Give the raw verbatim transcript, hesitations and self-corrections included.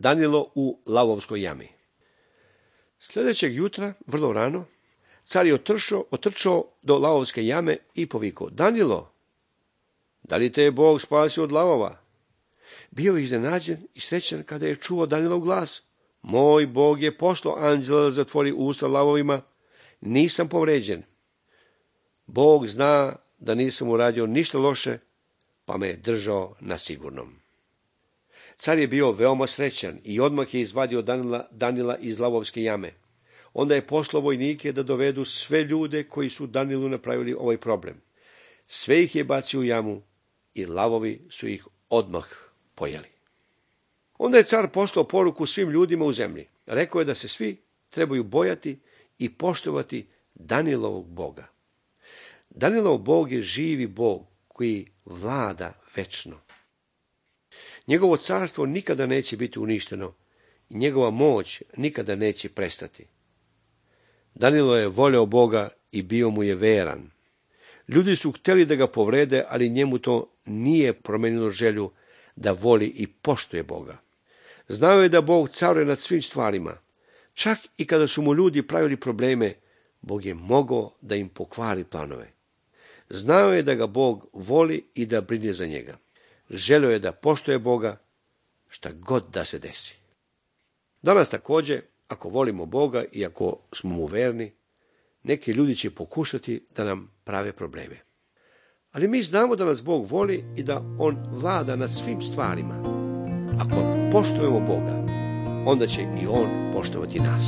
Danilo u lavovskoj jami. Sljedećeg jutra, vrlo rano, car je otršao, otrčao do lavovske jame i povikao: Danilo, da li te je Bog spasio od lavova? Bio je iznenađen i srećan kada je čuo Danilov glas: Moj Bog je poslao anđela da zatvori usta lavovima, nisam povređen. Bog zna da nisam uradio ništa loše, pa me je držao na sigurnom. Car je bio veoma srećan i odmah je izvadio Danila, Danila iz lavovske jame. Onda je poslao vojnike da dovedu sve ljude koji su Danilu napravili ovaj problem. Sve ih je bacio u jamu i lavovi su ih odmah pojeli. Onda je car poslao poruku svim ljudima u zemlji. Rekao je da se svi trebaju bojati i poštovati Danilovog Boga. Danilov Bog je živi Bog koji vlada večno. Njegovo carstvo nikada neće biti uništeno i njegova moć nikada neće prestati. Danilo je voleo Boga i bio mu je veran. Ljudi su htjeli da ga povrede, ali njemu to nije promenilo želju da voli i poštuje Boga. Znao je da Bog caruje nad svim stvarima. Čak i kada su mu ljudi pravili probleme, Bog je mogao da im pokvari planove. Znao je da ga Bog voli i da brine za njega. Želio je da poštuje Boga šta god da se desi. Danas također, ako volimo Boga i ako smo mu verni, neki ljudi će pokušati da nam prave probleme. Ali mi znamo da nas Bog voli i da on vlada nad svim stvarima. Ako poštujemo Boga, onda će i on poštovati nas.